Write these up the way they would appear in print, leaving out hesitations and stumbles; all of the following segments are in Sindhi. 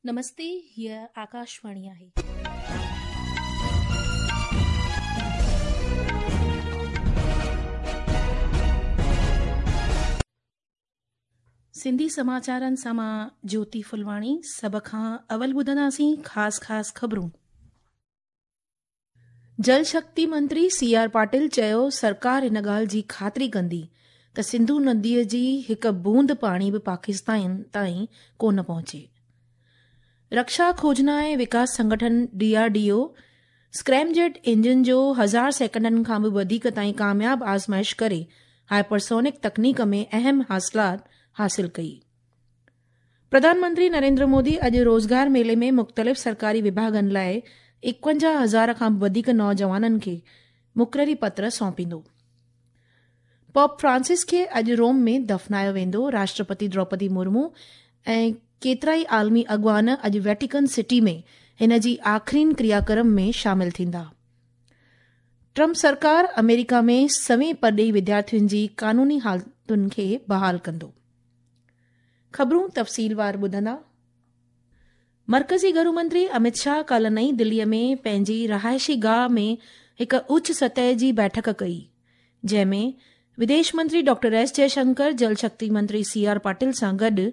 نمستي، هيء آڪاشواڻي آهي. سنڌي سماچارن سان مان جيوتي ڦلواڻي سڀ کان اول ٻڌنداسين خاص خاص خبرون. جل شڪتي منتري سي آر پاٽل چيو سرڪار ان ڳالهه جي خاطري ڪندي ته سنڌو نديء جي هڪ بوند پاڻي به پاڪستان تائين ڪونه پهچي. رڪشا کوجنا ۽ وڪاس سنگٺن، D R D O, scramjet engine جو هزار سيڪنڊن کان به وڌيڪ تائين ڪامياب آزمائش ڪري هائپرسونڪ تڪنيڪ ۾ اهم حاصلات حاصل ڪئي. پرڌان منتري نريندر مودي اڄ روزگار ميلي ۾ مختلف سرڪاري وڀاڳن لاء 51 هزار کان به وڌيڪ نوجوانن کي مقرري پتر سونپيندو. پوپ فرانسس کي اڄ روم ۾ دفنايو ويندو. راشٽرپتي دروپدي مرمو ۽ ڪيترائي عالمي اڳواڻ اڄ ويٽيڪن سٽي ۾ هن جي آخرين ڪرياڪرم ۾ شامل ٿيندا. ٽرمپ سرڪار آمريڪا ۾ سوين پرڏيهي وديارٿين جي قانوني حالتن کي بحال ڪندو. خبرون تفصيلوار ٻڌندا. مرڪزي گهرو منتري امت شاهه ڪالهه نئين دلي ۾ پنهنجي رهائشي گاهه ۾ هڪ اچ سطح جي بيٺڪ ڪئي، جنهن ۾ وديش منتري ڊاڪٽر ايس جئشنڪر، جل شڪتي منتري سي آر پاٽل سان گڏ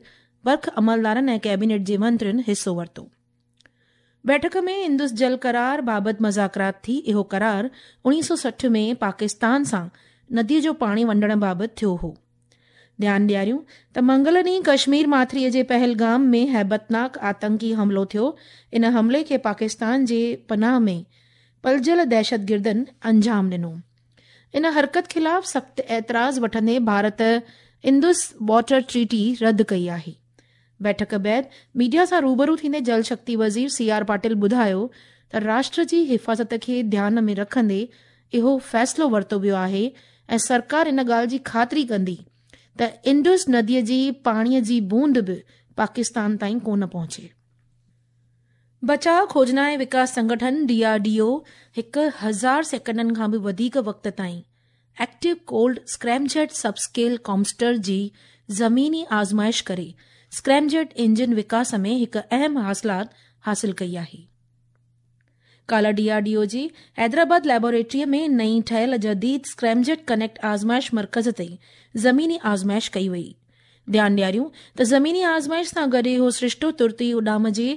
برک عملدارن ۽ ڪيبينيٽ جي منترين حصو ورتو. بيٺڪ ۾ انڊس جل قرار بابت مذاڪرات ٿي، اهو قرار 1960 ۾ پاڪستان سان ندي جو پاڻي ونڊڻ بابت ٿيو هو. ڌيان ڏياريون ته منگل ڏينهن ڪشمير ماٿريء جي پهلگام ۾ هيبتناڪ آتنڪي حملو ٿيو، ان حملي کي پاڪستان جي پناهه ۾ پلجيل دهشتگردن انجام ڏنو. ان حرڪت خلاف سخت اعتراض وٺندي ڀارت انڊس واٽر ٽريٽي رد ڪئي آهي. بيٺڪ بعد ميڊيا سان روبرو ٿيندي جل شڪتي وزير سي آر پاٽل ٻڌايو ته راشٽر جي حفاظت کي ڌيان ۾ رکندي اهو فيصلو ورتو ويو آهي ۽ سرڪار ان ڳالهه جي خاطري ڪندي ته انڊس نديء جي پاڻي جي بوند به پاڪستان تائين ڪونه پهچي. بچاء کوجنا ۽ وڪاس سنگٺن، ڊي آر ڊي او، 1000 سيڪنڊن کان به وڌيڪ وقت تائين active cold scramjet sub scale combustor جي زميني آزمائش ڪري اسڪريمجيٽ انجن وڪاس ۾ هڪ اهم حاصلات حاصل ڪئي آهي. ڪالهه ڊي آر ڊي او جي حيدرآباد ليبارٽري ۾ نئين ٺهيل جديد اسڪريمجيٽ ڪنيڪٽ آزمائش مرڪز تي زميني آزمائش ڪئي وئي. ڌيان ڏياريون ته زميني آزمائش سان گڏ اهو سرشتو ترت ئي اڏام جي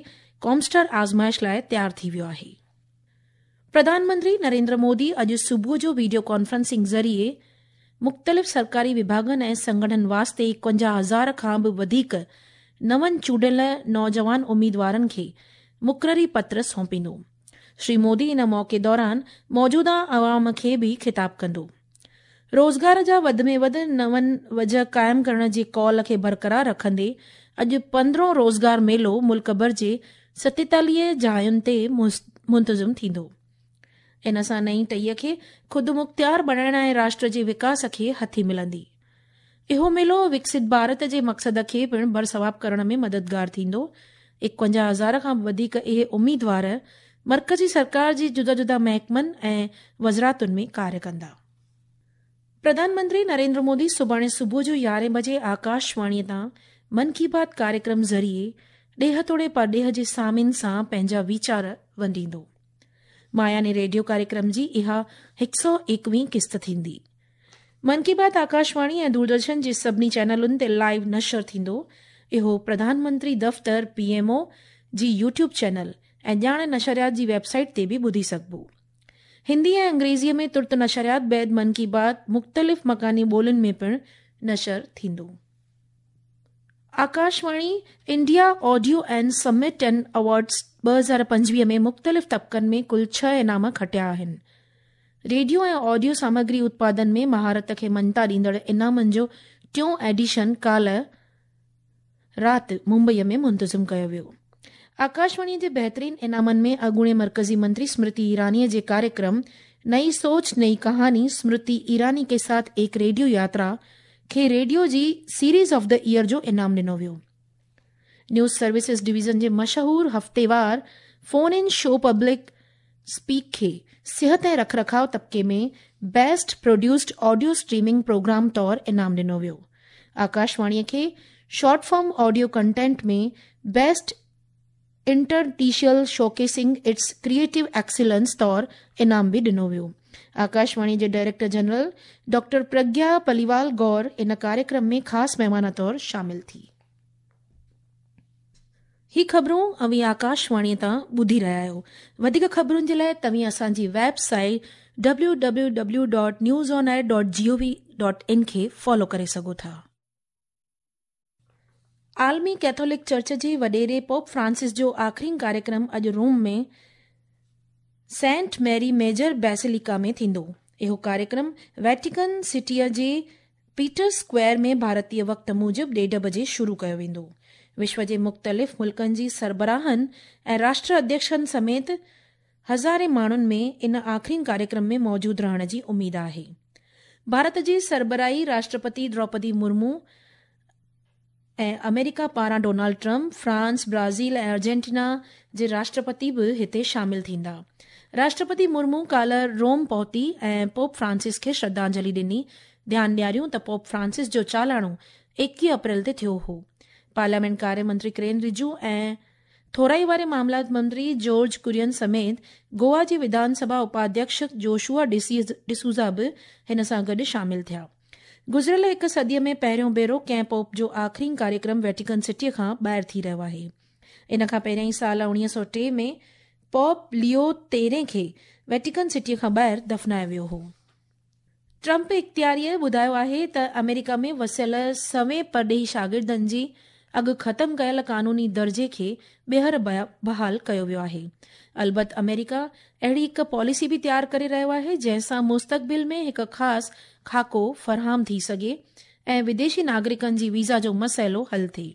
ڪامسٽر آزمائش لاء تيار ٿي ويو آهي. پرڌان منتري نريندر مودي اڄ صبح جو ويڊيو ڪانفرنسنگ ذريعي مختلف سرڪاري وڀاڳن ۽ سنگٺن واسطي 51 هزار کان به وڌيڪ نون چونڊيل نوجوان اميدوارن کي مقرري پتر سونپيندو. شري مودي ان موقعي دوران موجوده عوام کي به خطاب ڪندو. روزگار جا وڌ ۾ وڌ نون وجهه قائم ڪرڻ جي قول کي برقرار رکندي اڄ پندرهون روزگار ميلو ملڪ ڀر جي 47 جاين تي منتظم ٿيندو. ان سان نئين ٽهيء کي خودمختيار بڻائڻ ۽ راشٽر جي وڪاس کي هٿي ملندي. اهو ميلو وڪست ڀارت جي مقصد کي پڻ برثواب ڪرڻ ۾ مددگار ٿيندو. 51 هزار کان به وڌيڪ اهي اميدوار مرڪزي سرڪار جي جدا جدا محڪمن ۽ وزراتن ۾ ڪاريه ڪندا. پرڌان منتري نريندر مودي سڀاڻي صبح جو يارهين بجي آڪاشواڻي تان من ڪي بات ڪاريڪرم ذريعي ڏيهه توڙي پرڏيهه جي سامعين سان پنهنجا ويچار ونڊيندو. ماهياني ريڊيو ڪاريڪرم جي اها هڪ سئو ايڪويهين قسط ٿيندي. من ڪي بات آڪاشواڻي ۽ دوردرشن جي سڀني چينلن تي لائيو نشر ٿيندو. اهو پرڌان منتري دفتر، پي ايم او، جي يوٽيوب چينل ۽ ڄاڻ نشريات جي ويب سائيٽ تي به ٻڌي سگهبو. هندي ۽ انگريزيء ۾ ترت نشريات بعد من ڪي بات مختلف مڪاني ٻولين ۾ پڻ نشر ٿيندو. Akashvani India audio and summit and awards 2025 ۾ مختلف طبقن ۾ ڪل ڇهه انعام کٽيا آهن. ريڊيو ۽ آڊيو سامگري اتپادن ۾ مهارت کي مڃتا ڏيندڙ انعامن جو ٽيون ايڊيشن ڪالهه رات ممبئي ۾ منتظم ڪيو ويو. آڪاشواڻي جي بهترين انعامن ۾ اڳوڻي مرڪزي منتري سمرتي ايراني جي ڪاريڪرم نئي سوچ نئي ڪهاني سمرتي ايراني ڪي ساٿ ايڪ ريڊيو ياترا کي ريڊيو جي سيريز آف the air جو انعام ڏنو ويو. نيوز سروسز ڊويزن جي مشهور هفتيوار phone in show public speak کي صحت ۽ رک رکاء طبقي ۾ best produced audio streaming programme طور انعام ڏنو ويو. آڪاشواڻي کي short form audio content ۾ best Interstitial showcasing its creative excellence طور انعام به ڏنو ويو. آڪاشواڻي جي director general doctor Pragya Paliwal Gaur ان ڪاريڪرم ۾ خاص مهمان طور شامل ٿي. هي خبرون اوهين آڪاشواڻي تان ٻڌي رهيا آهيو. وڌيڪ خبرن جي لاء توهين اسان جي web site www.newsonair.gov.in کي فالو ڪري سگهو ٿا. عالمي ڪيٿولڪ چرچ جي وڏيري پوپ فرانسس جو آخرين ڪاريڪرم اڄ Rome ۾ Saint Mary Major Basilica ۾ ٿيندو. اهو ڪاريڪرم ويٽيڪن سٽيء جي پيٽر اسڪوائر ۾ ڀارتي وقت موجب ڏيڍ بجي شروع ڪيو ويندو. وشو جي مختلف ملڪن جي سربراهن ۽ راشٽر اڌيڪشن سميت هزارين ماڻهن ۾ ان آخرين ڪاريڪرم ۾ موجود رهڻ جي اميد آهي. ڀارت جي سربراهي راشٽرپتي دروپدي مرمو ۽ آمريڪا پاران Donald Trump, France, Brazil ۽ Argentina جي راشٽرپتي به هتي شامل ٿيندا. راشٽرپتي مرمو ڪالهه روم پهتي ۽ پوپ فرانسس کي شرڌانجلي ڏني. ڌيان ڏياريون ته پوپ فرانسس جو چالاڻو 21 اپريل تي ٿيو هو. پارليامينٽ ڪاري منتري ڪرين رجو ۽ ٿورائي واري معاملات منتري جارج ڪرين سميت گوا جي وڌان سڀا اپاڌيڪش جوشوا ڊسوزا به هن سان گڏ شامل ٿيا. گذريل هڪ صديء ۾ پهريون ڀيرو ڪنهن پوپ جو آخرين ڪاريڪرم ويٽيڪن سٽيء کان ٻاهر ٿي رهيو آهي. ان کان پهريائين سال 1903 ۾ پوپ ليو تيرهين کي ويٽيڪن سٽيء کان ٻاهر دفنايو ويو هو. ٽرمپ اختياريء ٻڌايو آهي ته آمريڪا ۾ وسيل سوين پرڏيهي شاگردن جي اڳ ختم ڪيل قانوني درجي کي ٻيهر بحال ڪيو ويو آهي. البت آمريڪا اهڙي هڪ پاليسي به تيار ڪري رهيو آهي جنهن سان مستقبل ۾ هڪ خاص خاڪو فراهم ٿي سگهي ۽ وديشي ناگرڪن جي ويزا جو مسئلو حل ٿئي.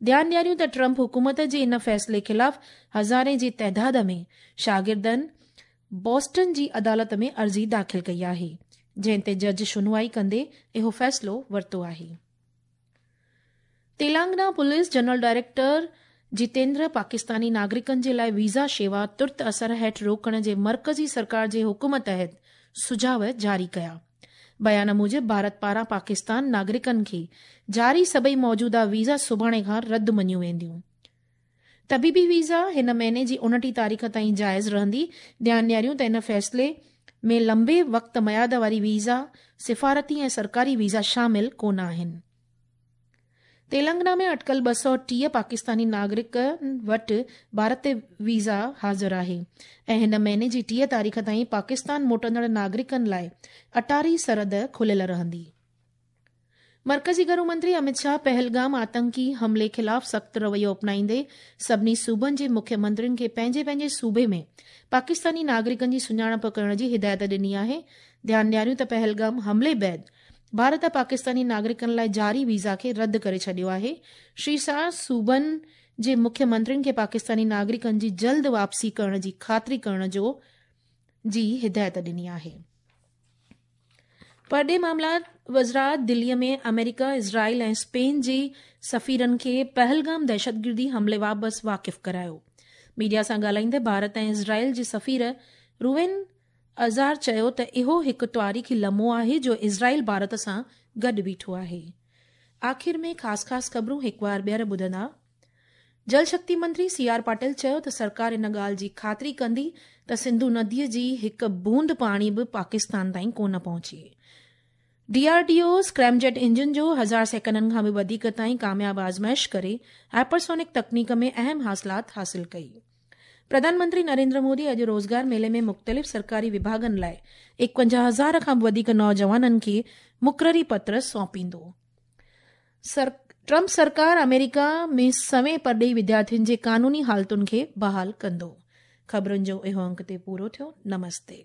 ڌيان ڏياريون ته ٽرمپ حڪومت جي ان فيصلي خلاف هزارين جي تعداد ۾ شاگردن بوسٽن جي عدالت ۾ عرضي داخل ڪئي آهي، جنهن تي جج شنوائي ڪندي اهو فيصلو ورتو آهي. Telangana police general director Jitendra Pakistani ناگرڪن جي لاء ويزا شيوا ترت اثر هيٺ روڪڻ جي مرڪزي سرڪار جي حڪم تحت سجهاء جاري ڪيا. بيان موجب ڀارت پاران پاڪستان ناگرڪن کي جاري سڀئي موجوده ويزا سڀاڻي کان رد مڃيون وينديون. طبيبي ويزا هن مهيني جي 29 تاريخ تائين جائز رهندي. ڌيان ڏياريون ته ان فيصلي ۾ لنبي وقت ميعاد واري ويزا، سفارتي ۽ سرڪاري ويزا شامل ڪونه آهن. تيلنگنا ۾ اٽڪل 230 پاڪستاني ناگرڪن وٽ ڀارتي ويزا حاضر آهي ۽ هن مهيني جي 30 تاريخ تائين پاڪستان موٽندڙ ناگرڪن لاء اٽاري سرحد کليل رهندي. مرڪزي گهرو منتري امت شاهه پهلگام آتنڪي حملي خلاف سخت رويو اپنائيندي سڀني صوبن جي مکيه منترين کي پنهنجي پنهنجي صوبي ۾ پاڪستاني ناگرڪن جي سڃاڻپ ڪرڻ جي هدايت ڏني آهي. ڌيان ڏياريون ته پهلگام حملي بعد ڀارت پاڪستاني ناگرڪن لاء جاري ويزا کي رد ڪري ڇڏيو آهي. شري شاهه صوبن جي مکيه منترين کي پاڪستاني ناگرڪن جي جلد واپسي ڪرڻ جي خاطري ڪرڻ جو جي هدايت ڏني آهي. پرڏيهي معاملات وزارت دلي ۾ آمريڪا، اسرائيل ۽ اسپين جي سفيرن کي پهلگام دهشتگردي حملي بابت واقف ڪرايو. ميڊيا سان ڳالهائيندي ڀارت ۽ اسرائيل جي سفير روين ازار چيو ته اهو هڪ تاريخي لمحو آهي جو اسرائيل ڀارت سان گڏ بيٺو آهي. آخر ۾ خاص خاص خبرون هڪ وار ٻيهر ٻڌندا. جل شڪتي منتري سي آر پاٽل چيو ته سرڪار ان ڳالهه جي خاطري ڪندي ته سنڌو نديء جي هڪ بوند پاڻي به پاڪستان تائين ڪونه پهچي. D R D O scramjet engine جو هزار سيڪنڊن کان به وڌيڪ تائين ڪامياب آزمائش ڪري هائپرسونڪ تڪنيڪ ۾ اهم حاصلات حاصل ڪئي. پرڌان منتري نريندر مودي اڄ روزگار ميلي ۾ مختلف سرڪاري وڀاڳن لاء 51 هزار کان به وڌيڪ نوجوانن کي مقرري پتر سونپيندو. ٽرمپ سرڪار آمريڪا ۾ سوين پرڏيهي وديارٿين جي قانوني حالتن کي بحال ڪندو. خبرن جو اهو انڪ تي پورو ٿيو. نمستي.